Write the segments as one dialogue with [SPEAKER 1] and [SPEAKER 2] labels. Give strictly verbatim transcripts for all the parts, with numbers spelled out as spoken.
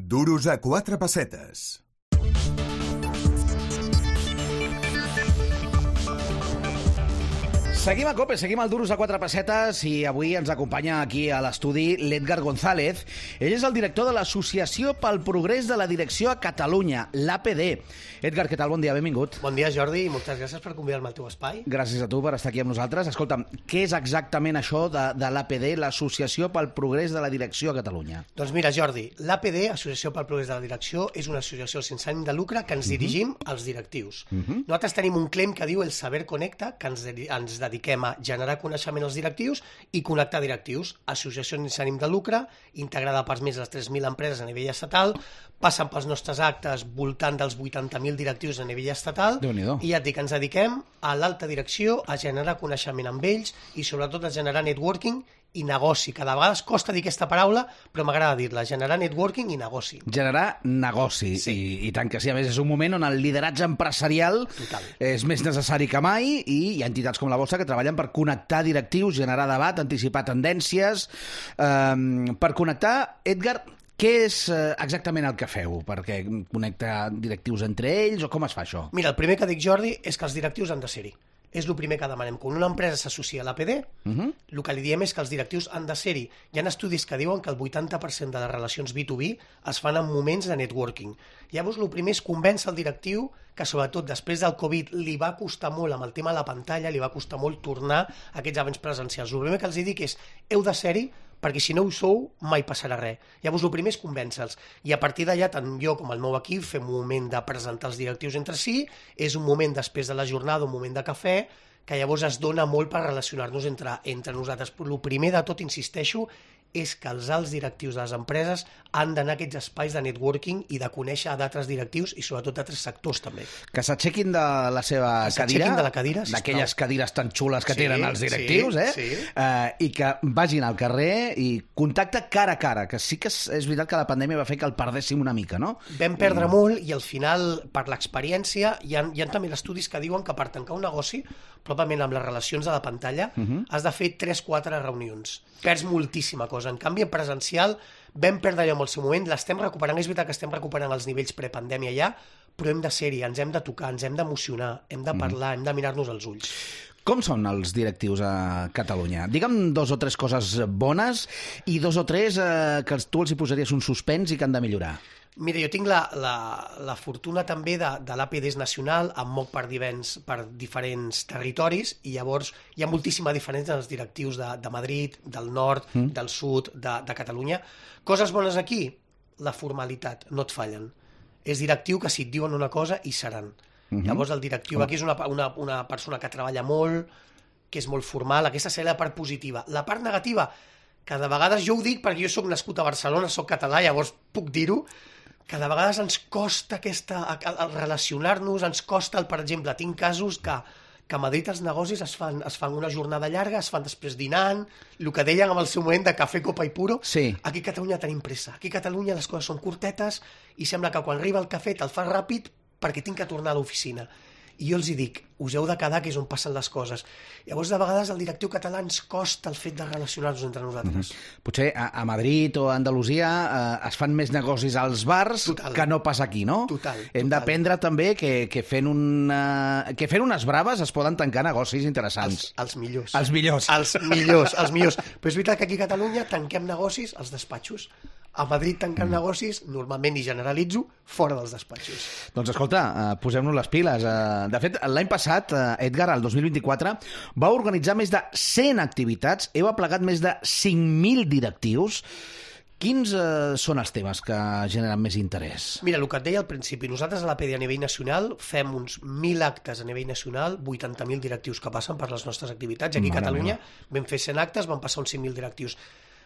[SPEAKER 1] Duros a quatre pessetes.
[SPEAKER 2] Seguim a COPE, seguim al Duros a quatre pessetes i avui ens acompanya aquí a l'estudi l'Edgar González. Ell és el director de l'Associació pel Progrés de la Direcció a Catalunya, l'A P D. Edgar, què tal? Bon dia, benvingut.
[SPEAKER 3] Bon dia, Jordi, i moltes gràcies per convidar-me al teu espai.
[SPEAKER 2] Gràcies a tu per estar aquí amb nosaltres. Escolta'm, què és exactament això de, de l'A P D, l'Associació pel Progrés de la Direcció a Catalunya?
[SPEAKER 3] Doncs mira, Jordi, l'A P D, Associació pel Progrés de la Direcció, és una associació sense ànim de lucre que ens uh -huh. dirigim als directius. Uh -huh. Nosaltres tenim un claim que diu el saber connecta, que ens, de ens dediquem a generar coneixement als directius i connectar directius. Associació sense ànim de lucre, integrada per més de tres mil empreses a nivell estatal, passen pels nostres actes voltant dels vuitanta mil directius a nivell estatal, i ja et dic, ens dediquem a l'alta direcció, a generar coneixement amb ells i sobretot a generar networking i negoci. Cada vegada costa dir aquesta paraula, però m'agrada dir-la, generar networking i negoci.
[SPEAKER 2] Generar negoci, sí. I, i tant que sí. A més, és un moment on el lideratge empresarial Total. és més necessari que mai i hi ha entitats com la vostra que treballen per connectar directius, generar debat, anticipar tendències. Um, per connectar, Edgar, què és exactament el que feu? Perquè connecta directius entre ells o com es fa això?
[SPEAKER 3] Mira, el primer que dic, Jordi, és que els directius han de ser-hi. És el primer que demanem. Quan una empresa s'associa a l'A P D, uh -huh. el que li diem és que els directius han de ser-hi. Hi ha estudis que diuen que el vuitanta per cent de les relacions B dos B es fan en moments de networking. Llavors, el primer és convèncer el directiu que, sobretot després del Covid, li va costar molt amb el tema de la pantalla, li va costar molt tornar a aquests events presencials. El primer que els dic és, heu de ser-hi, perquè si no ho sou, mai passarà res. Llavors, el primer és convèncer-los. I a partir d'allà, tant jo com el meu equip fem un moment de presentar els directius entre si, és un moment després de la jornada, un moment de cafè, que llavors es dona molt per relacionar-nos entre, entre nosaltres. Però el primer de tot, insisteixo, és que els alts directius de les empreses han d'anar a aquests espais de networking i de conèixer d'altres directius i sobretot d'altres sectors també.
[SPEAKER 2] Que s'aixequin de la seva
[SPEAKER 3] que
[SPEAKER 2] cadira,
[SPEAKER 3] de la cadira
[SPEAKER 2] d'aquelles cadires tan xules que sí, tenen els directius,
[SPEAKER 3] sí,
[SPEAKER 2] eh?
[SPEAKER 3] Sí.
[SPEAKER 2] Uh, i que vagin al carrer i contacte cara a cara, que sí que és, és veritat que la pandèmia va fer que el perdéssim una mica, no?
[SPEAKER 3] Vam perdre I... molt i al final, per l'experiència, hi ha, hi ha també estudis que diuen que per tancar un negoci, probablement amb les relacions de la pantalla, uh -huh. has de fer tres quatre reunions. Perds moltíssima cosa. En canvi, en presencial, vam perdre allò en el seu moment, l'estem recuperant, és veritat que estem recuperant els nivells prepandèmia ja, però hem de ser-hi, ens hem de tocar, ens hem d'emocionar, hem de parlar, mm. hem de mirar-nos als ulls.
[SPEAKER 2] Com són els directius a Catalunya? Digue'm dos o tres coses bones i dos o tres eh, que tu els hi posaries un suspens i que han de millorar.
[SPEAKER 3] Mira, jo tinc la, la, la fortuna també de, de l'A P D nacional, em moc per, divens, per diferents territoris i llavors hi ha moltíssima diferència en els directius de, de Madrid, del nord, mm. del sud, de, de Catalunya. Coses bones aquí? La formalitat, no et fallen. És directiu que si et diuen una cosa hi seran. Mm-hmm. Llavors el directiu aquí és una, una, una persona que treballa molt, que és molt formal, aquesta seria la part positiva. La part negativa, que de vegades jo ho dic perquè jo soc nascut a Barcelona, soc català, llavors puc dir-ho, que de vegades ens costa aquesta, el relacionar-nos, ens costa, el, per exemple, tinc casos que, que a Madrid els negocis es fan, es fan una jornada llarga, es fan després dinant, el que deien en el seu moment de cafè, copa i puro.
[SPEAKER 2] Sí.
[SPEAKER 3] Aquí a Catalunya tenim pressa. Aquí a Catalunya les coses són curtetes i sembla que quan arriba el cafè te'l fas ràpid perquè tinc que tornar a l'oficina. I jo els hi dic, us heu de quedar, que és on passen les coses. Llavors, de vegades, el directiu català ens costa el fet de relacionar-nos entre nosaltres.
[SPEAKER 2] Mm-hmm. Potser a, a Madrid o a Andalusia eh, es fan més negocis als bars total. Que no pas aquí, no?
[SPEAKER 3] Total.
[SPEAKER 2] Hem d'aprendre també que, que, fent una, que fent unes braves es poden tancar negocis interessants.
[SPEAKER 3] Els, els millors.
[SPEAKER 2] Els millors.
[SPEAKER 3] Els millors, els millors. Però és veritat que aquí a Catalunya tanquem negocis als despatxos. A Madrid tancant mm. negocis, normalment, i generalitzo, fora dels despatxos.
[SPEAKER 2] Doncs escolta, uh, posem-nos les piles. Uh, de fet, l'any passat, uh, Edgar, el dos mil vint-i-quatre, va organitzar més de cent activitats, heu aplegat més de cinc mil directius. Quins uh, són els temes que generen més interès?
[SPEAKER 3] Mira, el que et deia al principi, nosaltres a l'A P D a nivell nacional fem uns mil actes a nivell nacional, vuitanta mil directius que passen per les nostres activitats, i aquí a Catalunya vam fer cent actes, van passar uns cinc mil directius.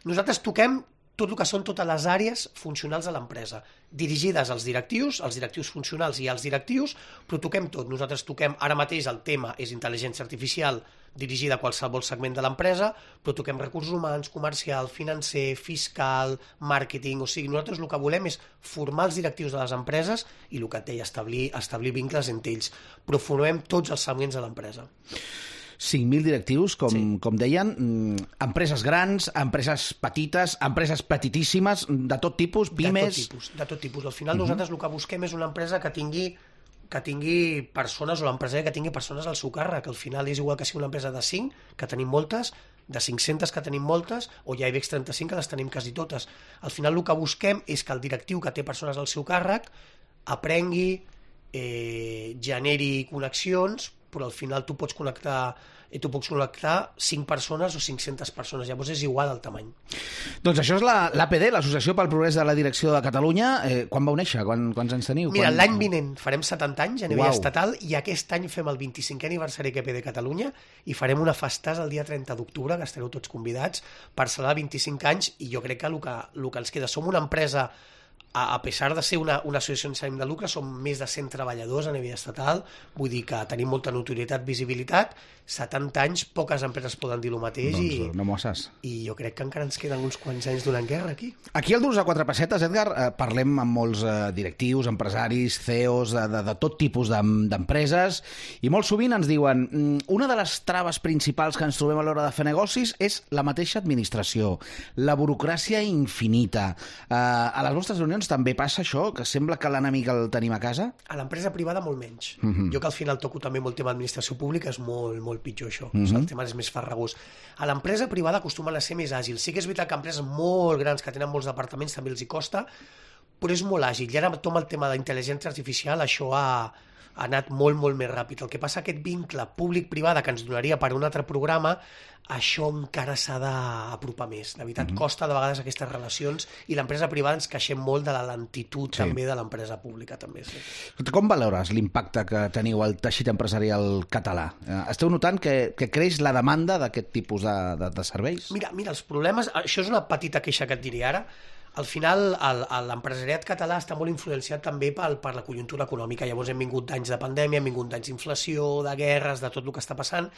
[SPEAKER 3] Nosaltres toquem tot el que són totes les àrees funcionals de l'empresa, dirigides als directius, als directius funcionals i als directius, però toquem tot. Nosaltres toquem, ara mateix el tema és intel·ligència artificial dirigida a qualsevol segment de l'empresa, però toquem recursos humans, comercial, financer, fiscal, màrqueting, o sigui, nosaltres el que volem és formar els directius de les empreses i el que et deia, establir, establir vincles entre ells, però formem tots els segments de l'empresa.
[SPEAKER 2] cinc mil directius, com, sí. com deien, empreses grans, empreses petites, empreses petitíssimes, de tot tipus, pimes...
[SPEAKER 3] De tot tipus, de tot tipus. Al final uh -huh. nosaltres el que busquem és una empresa que tingui que tingui persones, o l'empresari que tingui persones al seu càrrec, que al final és igual que sigui una empresa de cinc, que tenim moltes, de cinc-centes que tenim moltes, o ja IBEX trenta-cinc que les tenim quasi totes. Al final el que busquem és que el directiu que té persones al seu càrrec aprengui, eh, generi connexions, però al final tu pots connectar i tu pots connectar cinc persones o cinc-centes persones, llavors és igual el tamany.
[SPEAKER 2] Doncs això és l'A P D, l'Associació pel Progrés de la Direcció de Catalunya. Eh, quan vau néixer? Quan, quants anys teniu?
[SPEAKER 3] Mira,
[SPEAKER 2] quan...
[SPEAKER 3] l'any vinent farem setanta anys a nivell estatal i aquest any fem el vint-i-cinquè aniversari que A P D Catalunya i farem una festàs el dia trenta d'octubre, que estareu tots convidats per celebrar vint-i-cinc anys, i jo crec que el que, el que ens queda, som una empresa, a pesar de ser una, una associació sense ànim de lucre, som més de cent treballadors a nivell estatal, vull dir que tenim molta notorietat, visibilitat, setanta anys, poques empreses poden dir el mateix.
[SPEAKER 2] Doncs
[SPEAKER 3] i,
[SPEAKER 2] no m'ho saps.
[SPEAKER 3] I jo crec que encara ens queden uns quants anys donant guerra aquí.
[SPEAKER 2] Aquí al Durs a quatre pessetes, Edgar, eh, parlem amb molts eh, directius, empresaris, C E Os, de, de, de tot tipus d'empreses, i molt sovint ens diuen una de les traves principals que ens trobem a l'hora de fer negocis és la mateixa administració, la burocràcia infinita. Eh, a les vostres reunions també passa això, que sembla que l'enemic el tenim a casa?
[SPEAKER 3] A l'empresa privada molt menys. Uh -huh. Jo que al final toco també molt tema d'administració pública, és molt, molt pitjor això. Uh -huh. O sigui, el tema és més farragós. A l'empresa privada acostumen a ser més àgils. Sí que és veritat que empreses molt grans que tenen molts departaments també els hi costa, però és molt àgil. I ara amb el tema de la intel·ligència artificial això ha... ha anat molt, molt més ràpid. El que passa, aquest vincle públic-privada que ens donaria per un altre programa, això encara s'ha d'apropar més. De veritat, uh-huh. costa de vegades aquestes relacions, i l'empresa privada ens queixem molt de la lentitud sí. també de l'empresa pública. També, sí.
[SPEAKER 2] Com valores l'impacte que teniu al teixit empresarial català? Esteu notant que, que creix la demanda d'aquest tipus de, de, de serveis?
[SPEAKER 3] Mira, mira, els problemes... Això és una petita queixa que et diré ara. Al final, l'empresariat català està molt influenciat també per, per la conjuntura econòmica. Llavors hem vingut d'anys de pandèmia, hem vingut d'anys d'inflació, de guerres, de tot el que està passant,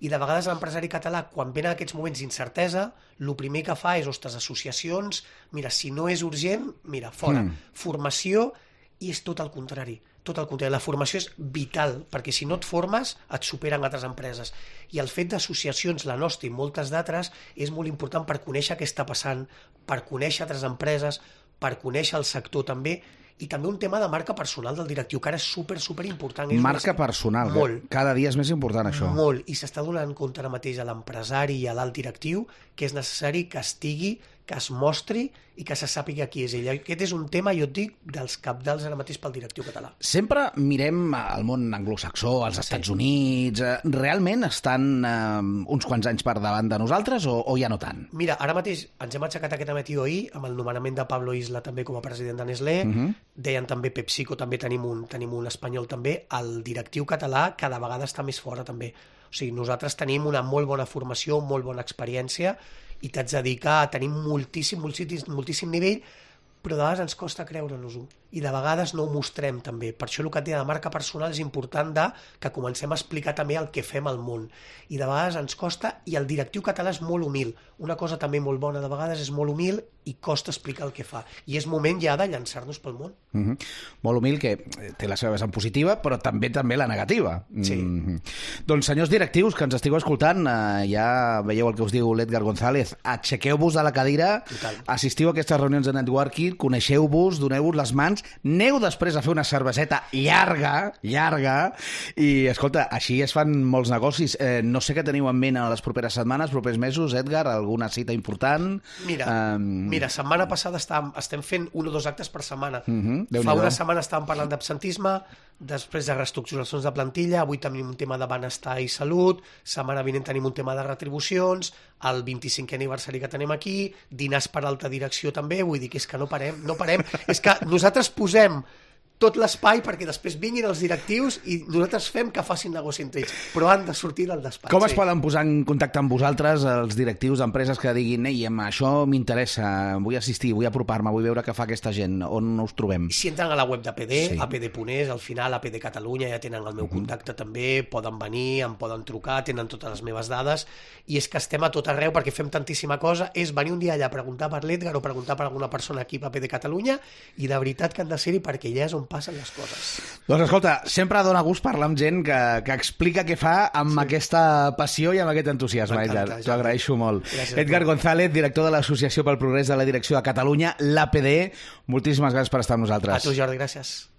[SPEAKER 3] i de vegades l'empresari català, quan venen aquests moments d'incertesa, el primer que fa és, ostres, associacions, mira, si no és urgent, mira, fora. Mm. Formació, i és tot el contrari. Tot el contrari. La formació és vital, perquè si no et formes, et superen altres empreses. I el fet d'associacions, la nostra i moltes d'altres, és molt important per conèixer què està passant, per conèixer altres empreses, per conèixer el sector també, i també un tema de marca personal del directiu, que ara és super, super important. És
[SPEAKER 2] marca personal, molt. Cada dia és més important això.
[SPEAKER 3] Molt, i s'està donant compte ara mateix a l'empresari i a l'alt directiu que és necessari que estigui, que es mostri i que se sàpiga qui és ell. Aquest és un tema, jo et dic, dels cabdals ara mateix pel directiu català.
[SPEAKER 2] Sempre mirem el món anglosaxó, als Estats sí. Units. Realment estan eh, uns quants anys per davant de nosaltres o, o ja no tant?
[SPEAKER 3] Mira, ara mateix ens hem aixecat aquest matí ahir amb el nomenament de Pablo Isla també com a president de Nestlé. Uh -huh. Deien també PepsiCo, també tenim un, tenim un espanyol també. El directiu català cada vegada està més fora també. O sigui, nosaltres tenim una molt bona formació, molt bona experiència, i t'haig de dir que tenim moltíssim, moltíssim, moltíssim nivell, però de vegades ens costa creure-nos-ho. I de vegades no ho mostrem també. Per això el que et deia de marca personal és important de que comencem a explicar també el que fem al món. I de vegades ens costa, i el directiu català és molt humil. Una cosa també molt bona de vegades és molt humil i costa explicar el que fa. I és moment ja de llançar-nos pel món.
[SPEAKER 2] Mm -hmm. Molt humil, que té la seva vessant positiva, però també també la negativa.
[SPEAKER 3] Sí.
[SPEAKER 2] Mm -hmm. Doncs, senyors directius, que ens estigueu escoltant, eh, ja veieu el que us diu l'Edgar González. Aixequeu-vos de la cadira,
[SPEAKER 3] Total.
[SPEAKER 2] assistiu a aquestes reunions de networking, coneixeu-vos, doneu-vos les mans, aneu després a fer una cerveseta llarga, llarga, i, escolta, així es fan molts negocis. Eh, no sé què teniu en ment en les properes setmanes, propers mesos, Edgar, alguna cita important?
[SPEAKER 3] Mira,
[SPEAKER 2] um...
[SPEAKER 3] mira setmana passada estàvem, estem fent un o dos actes per setmana.
[SPEAKER 2] Uh -huh.
[SPEAKER 3] Fa una setmana estàvem parlant d'absentisme, després de reestructuracions de plantilla, avui tenim un tema de benestar i salut, setmana vinent tenim un tema de retribucions, el vint-i-cinquè aniversari que tenim aquí, dinars per alta direcció també, vull dir que és que no parem, no parem. És que nosaltres posem tot l'espai perquè després vinguin els directius i nosaltres fem que facin negoci entre ells, però han de sortir del despatx.
[SPEAKER 2] Com es sí. poden posar en contacte amb vosaltres els directius d'empreses que diguin ei, això m'interessa, vull assistir, vull apropar-me, vull veure què fa aquesta gent, on us trobem?
[SPEAKER 3] Si entren a la web d'A P D,
[SPEAKER 2] sí.
[SPEAKER 3] A P D punt es, al final A P D Catalunya, ja tenen el meu contacte uh -huh. també, poden venir, em poden trucar, tenen totes les meves dades, i és que estem a tot arreu perquè fem tantíssima cosa, és venir un dia allà a preguntar per l'Edgar o preguntar per alguna persona aquí a A P D Catalunya, i de veritat que han de ser-hi perquè ja és on passen les coses.
[SPEAKER 2] Doncs escolta, sempre dona gust parlar amb gent que, que explica què fa amb sí. aquesta passió i amb aquest entusiasme, Edgar. T'ho agraeixo molt. Gràcies, Edgar González, director de l'Associació pel Progrés de la Direcció de Catalunya, l'A P D. Moltíssimes gràcies per estar amb nosaltres.
[SPEAKER 3] A tu, Jordi, gràcies.